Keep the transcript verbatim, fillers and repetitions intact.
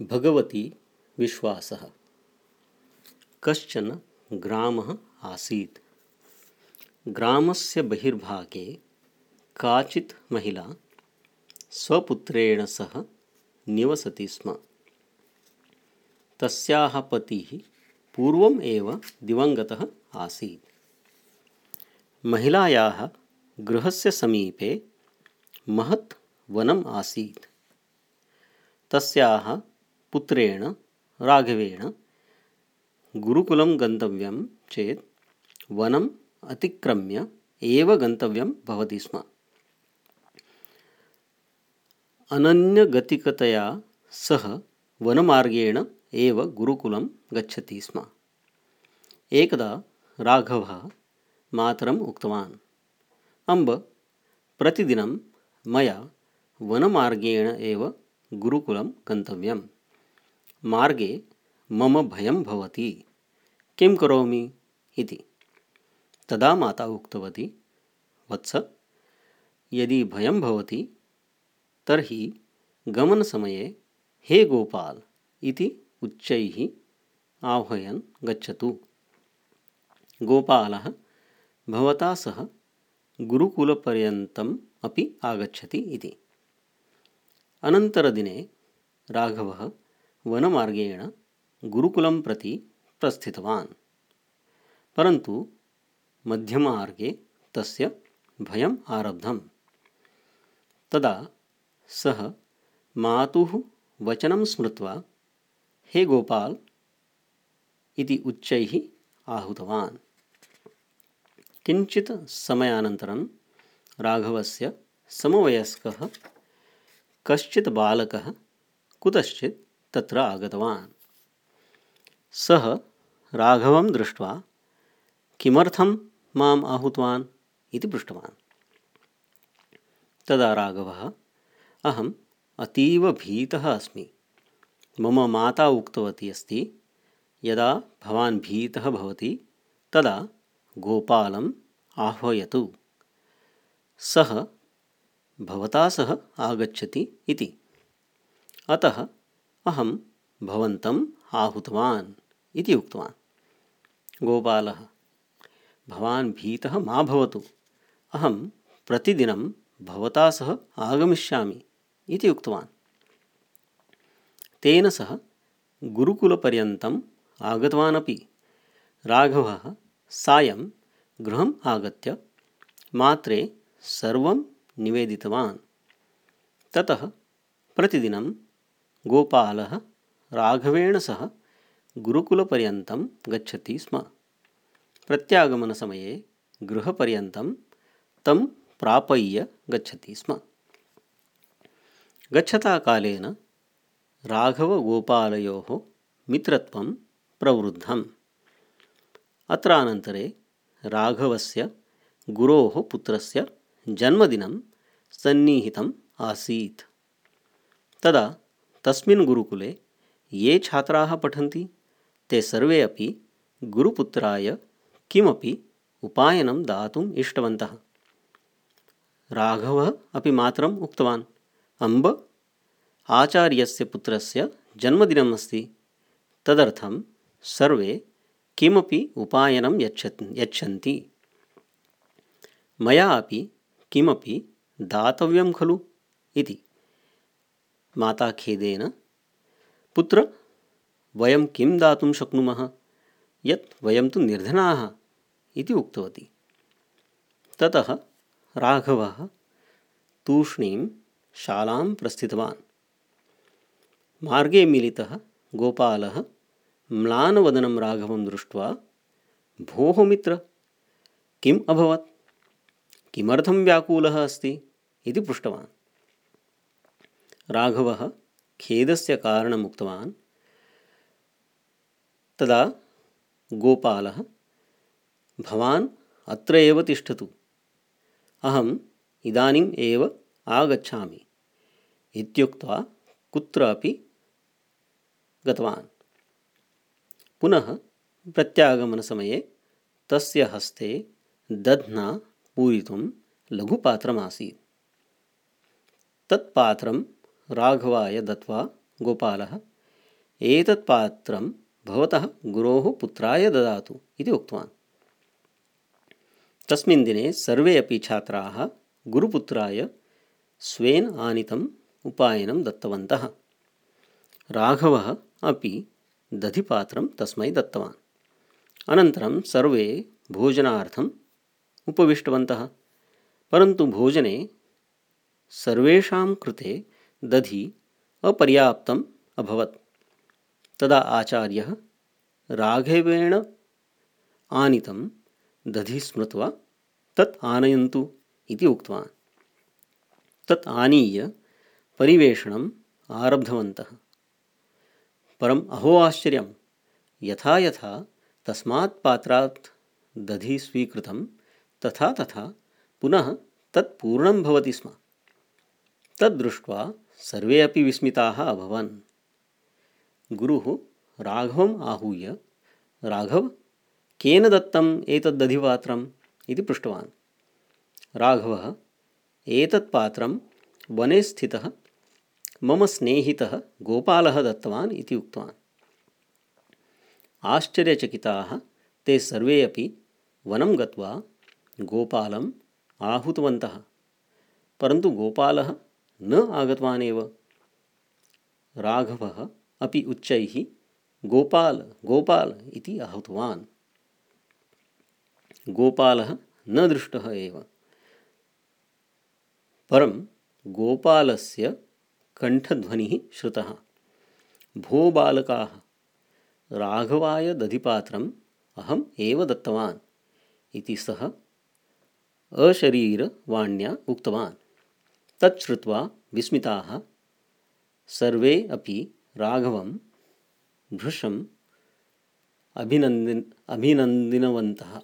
भगवती विश्वासः। कश्चन ग्रामः आसीत्। ग्रामस्य बहिर्भागे काचित् महिला स्वपुत्रेण सह निवसति स्म। तस्याः पतिः पूर्वम् एव दिवङ्गतः आसीत्। महिलायाः गृहस्य समीपे महत् वनम् आसीत्। तस्याः पुत्रेण राघवेण गुरुकुलं गन्तव्यं चेत् वनम् अतिक्रम्य एव गन्तव्यं भवति स्म। अनन्यगतिकतया सः वनमार्गेण एव गुरुकुलं गच्छति स्म। एकदा राघवः मातरम् उक्तवान्, अम्ब, प्रतिदिनं मया वनमार्गेण एव गुरुकुलं गन्तव्यं। मार्गे मम भयं भवति, किं करोमि इति। तदा माता उक्तवती, वत्स, यदि भयं भवति तर्हि गमनसमये हे गोपाल इति उच्चैः आह्वयन् गच्छतु। गोपालः भवता सह गुरुकुलपर्यन्तम् अपि आगच्छति इति। अनन्तरदिने राघवः वनमार्गेण गुरुकुलं प्रति प्रस्थितवान्। परन्तु मध्यमार्गे तस्य भयम् आरब्धम्। तदा सः मातुः वचनं स्मृत्वा हे गोपाल इति उच्चैः आहूतवान्। किञ्चित् समयानन्तरं राघवस्य समवयस्कः कश्चित् बालकः कुतश्चित् तत्र आगतवान्। सः राघवं दृष्ट्वा किमर्थं माम् आहूतवान् इति पृष्टवान्। तदा राघवः, अहम् अतीव भीतः अस्मि। मम माता उक्तवती अस्ति, यदा भवान् भीतः भवति तदा गोपालम् आह्वयतु, सः भवता सह आगच्छति इति। अतः अहं भवन्तम् आहूतवान् इति उक्तवान्। गोपालः, भवान् भीतः मा भवतु, अहं प्रतिदिनं भवता सह आगमिष्यामि इति उक्तवान्। तेन सह गुरुकुलपर्यन्तम् आगतवान् अपि। राघवः सायं गृहम् आगत्य मात्रे सर्वं निवेदितवान्। ततः प्रतिदिनं गोपालः राघवेण सह गुरुकुलपर्यन्तं गच्छति स्म। प्रत्यागमनसमये गृहपर्यन्तं तं प्रापय्य गच्छति स्म। गच्छता कालेन राघवगोपालयोः मित्रत्वं प्रवृद्धम्। अत्रानन्तरे राघवस्य गुरोः पुत्रस्य जन्मदिनं सन्निहितम् आसीत्। तदा तस्मिन् गुरुकुले ये छात्राः पठन्ति ते सर्वे अपि गुरुपुत्राय किमपि उपायनं दातुम् इष्टवन्तः। राघवः अपि मातरम् उक्तवान्, अम्ब, आचार्यस्य पुत्रस्य जन्मदिनम् अस्ति, तदर्थं सर्वे किमपि उपायनं यच्छ यच्छन्ति। मया अपि किमपि दातव्यं खलु इति। माता खेदेन, पुत्र, वयं किं दातुं शक्नुमः, यत् वयं तु निर्धनाः इति उक्तवती। ततः राघवः तूष्णीं शालां प्रस्थितवान्। मार्गे मिलितः गोपालः म्लानवदनं राघवं दृष्ट्वा, भोः मित्र, किम् अभवत्, किमर्थं व्याकुलः अस्ति इति पृष्टवान्। राघवः खेदस्य कारणम् उक्तवान्। तदा गोपालः, भवान् अत्र एव तिष्ठतु, अहम् इदानीम् एव आगच्छामि इत्युक्त्वा कुत्रापि गतवान्। पुनः प्रत्यागमनसमये तस्य हस्ते दध्ना पूरितुं लघुपात्रमासीत्। तत्पात्रं राघवाय दत्वा गोपालः, एतत् पात्रं भवतः गुरोः पुत्राय ददातु इति उक्तवान्। तस्मिन् दिने सर्वे अपि छात्राः गुरुपुत्राय स्वेन आनीतम् उपायनं दत्तवन्तः। राघवः अपि दधिपात्रं तस्मै दत्तवान्। अनन्तरं सर्वे भोजनार्थम् उपविष्टवन्तः। परन्तु भोजने सर्वेषां कृते दधि अपर्याप्तम् अभवत्। तदा आचार्यः राघवेण आनीतं दधि स्मृत्वा तत् आनयन्तु इति उक्तवान्। तत् आनीय परिवेषणम् आरब्धवन्तः। परम् अहो आश्चर्यं, यथा यथा तस्मात् पात्रात् दधि स्वीकृतं तथा तथा पुनः तत् पूर्णं भवति स्म। तद् दृष्ट्वा सर्वे अपि विस्मिताः अभवन्। गुरुः राघवम् आहूय, राघव, केन दत्तम् एतद् दधिपात्रम् इति पृष्टवान्। राघवः, एतत् पात्रं वने स्थितः मम स्नेहितः गोपालः दत्तवान् इति उक्तवान्। आश्चर्यचकिताः ते सर्वे अपि वनं गत्वा गोपालम् आहूतवन्तः। परन्तु गोपालः न आगतवान् एव। राघवः अपि उच्चैः गोपाल गोपाल इति आहूतवान्। गोपालः न दृष्टः एव। परं गोपालस्य कण्ठध्वनिः श्रुतः। भो बालकाः, राघवाय दधिपात्रम् अहम् एव दत्तवान् इति सः अशरीरवाण्या उक्तवान्। तत् श्रुत्वा विस्मिताः सर्वे अपि राघवं भृशम् अभिनन्दिन् अभिनन्दितवन्तः।